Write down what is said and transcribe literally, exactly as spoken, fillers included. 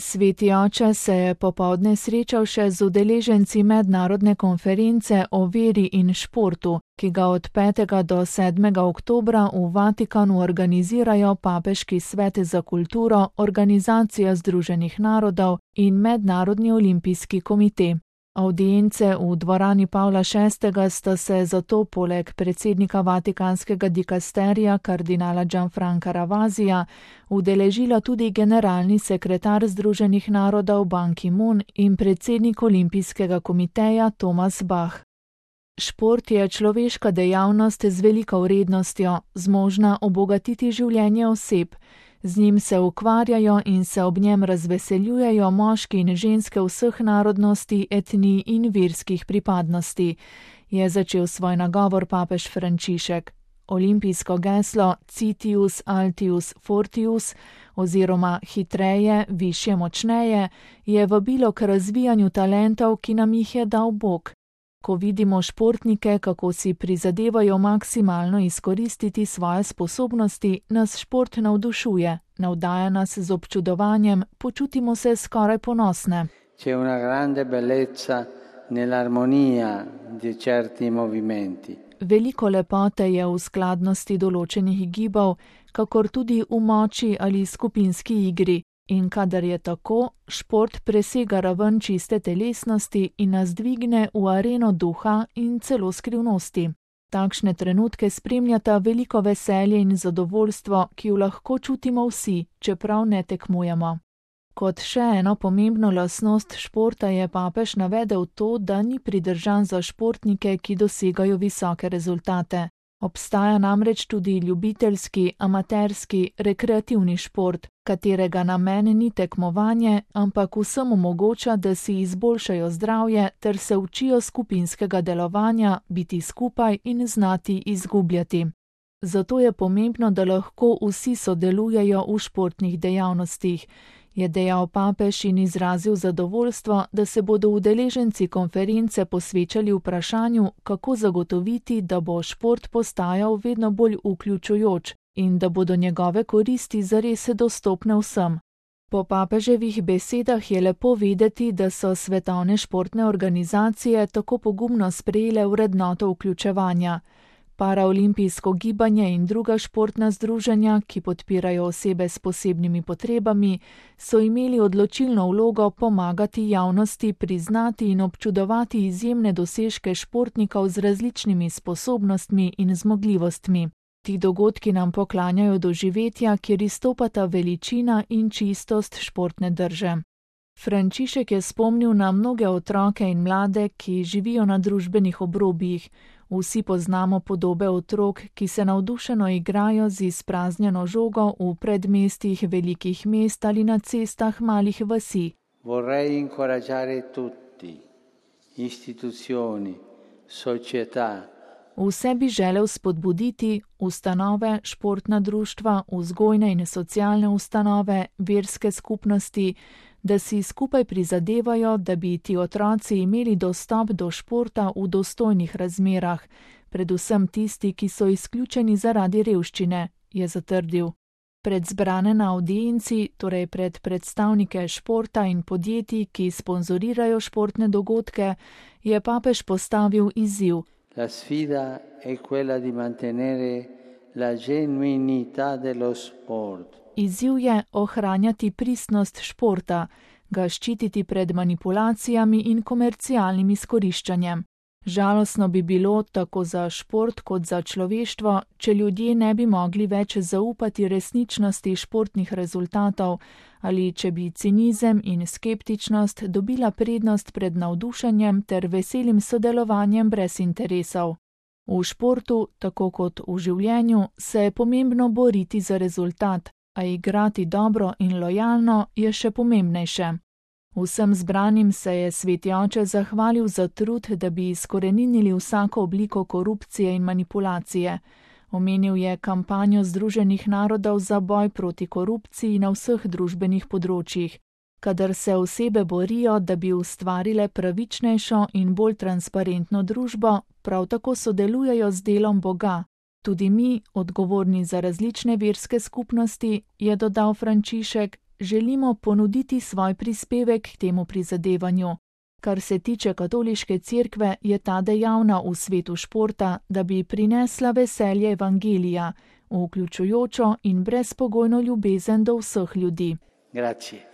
Sveti oče se je popoldne srečal še z udeleženci mednarodne konference o veri in športu, ki ga od petega do sedmega oktobra v Vatikanu organizirajo Papeški svet za kulturo, Organizacija združenih narodov in Mednarodni olimpijski komite. Avdience v dvorani Pavla šestega sta se zato poleg predsednika Vatikanskega dikasterija kardinala Gianfranca Ravasija udeležila tudi generalni sekretar Združenih narodov Ban Ki-moon in predsednik Olimpijskega komiteja Thomas Bach. Šport je človeška dejavnost z veliko vrednostjo, zmožna obogatiti življenje oseb. Z njim se ukvarjajo in se ob njem razveseljujejo moški in ženske vseh narodnosti, etnij in verskih pripadnosti, je začel svoj nagovor papež Frančišek. Olimpijsko geslo Citius Altius Fortius oziroma hitreje, višje, močneje je vabilo k razvijanju talentov, ki nam jih je dal Bog. Ko vidimo športnike, kako si prizadevajo maksimalno izkoristiti svoje sposobnosti, nas šport navdušuje, navdaja nas z občudovanjem, počutimo se skoraj ponosne. C'è una grande bellezza nell'armonia di certi movimenti. Veliko lepote je v skladnosti določenih gibov, kakor tudi v moči ali skupinski igri. In kadar je tako, šport presega raven čiste telesnosti in nas dvigne v areno duha in celo skrivnosti. Takšne trenutke spremljata veliko veselje in zadovoljstvo, ki jo lahko čutimo vsi, čeprav ne tekmujemo. Kot še eno pomembno lastnost športa je papež navedel to, da ni pridržan za športnike, ki dosegajo visoke rezultate. Obstaja namreč tudi ljubiteljski, amaterski, rekreativni šport, katerega namen ni tekmovanje, ampak vsem omogoča, da si izboljšajo zdravje ter se učijo skupinskega delovanja, biti skupaj in znati izgubljati. Zato je pomembno, da lahko vsi sodelujejo v športnih dejavnostih, je dejal papež in izrazil zadovoljstvo, da se bodo udeleženci konference posvečali vprašanju, kako zagotoviti, da bo šport postajal vedno bolj vključujoč in da bodo njegove koristi zares dostopne vsem. Po papeževih besedah je lepo videti, da so svetovne športne organizacije tako pogumno sprejele vrednoto vključevanja. Paraolimpijsko gibanje in druga športna združenja, ki podpirajo osebe s posebnimi potrebami, so imeli odločilno vlogo pomagati javnosti priznati in občudovati izjemne dosežke športnikov z različnimi sposobnostmi in zmogljivostmi. Ti dogodki nam poklanjajo doživetja, kjer izstopata veličina in čistost športne drže. Frančišek je spomnil na mnoge otroke in mlade, ki živijo na družbenih obrobjih. Vsi poznamo podobe otrok, ki se navdušeno igrajo z izpraznjeno žogo v predmestjih velikih mest ali na cestah malih vasi. Vorrei incoraggiare tutti, istituzioni, società. Vse bi želel spodbuditi ustanove, športna društva, vzgojne in socialne ustanove, verske skupnosti, da si skupaj prizadevajo, da bi ti otroci imeli dostop do športa v dostojnih razmerah, predvsem tisti, ki so izključeni zaradi revščine, je zatrdil. Pred zbrane na avdienci, torej pred predstavnike športa in podjetij, ki sponzorirajo športne dogodke, je papež postavil izziv. La sfida è quella di mantenere la genuinità dello sport. Izziv je ohranjati pristnost športa, ga ščititi pred manipulacijami in komercialnim izkoriščanjem. Žalostno bi bilo tako za šport kot za človeštvo, če ljudje ne bi mogli več zaupati resničnosti športnih rezultatov ali če bi cinizem in skeptičnost dobila prednost pred navdušenjem ter veselim sodelovanjem brez interesov. V športu, tako kot v življenju, se je pomembno boriti za rezultat, a igrati dobro in lojalno je še pomembnejše. Vsem zbranim se je sveti oče zahvalil za trud, da bi izkoreninili vsako obliko korupcije in manipulacije. Omenil je kampanjo Združenih narodov za boj proti korupciji na vseh družbenih področjih. Kadar se osebe borijo, da bi ustvarile pravičnejšo in bolj transparentno družbo, prav tako sodelujejo z delom Boga. Tudi mi, odgovorni za različne verske skupnosti, je dodal Frančišek, želimo ponuditi svoj prispevek k temu prizadevanju. Kar se tiče katoliške cerkve, je ta dejavna v svetu športa, da bi prinesla veselje evangelija, vključujočo in brezpogojno ljubezen do vseh ljudi. Grazie.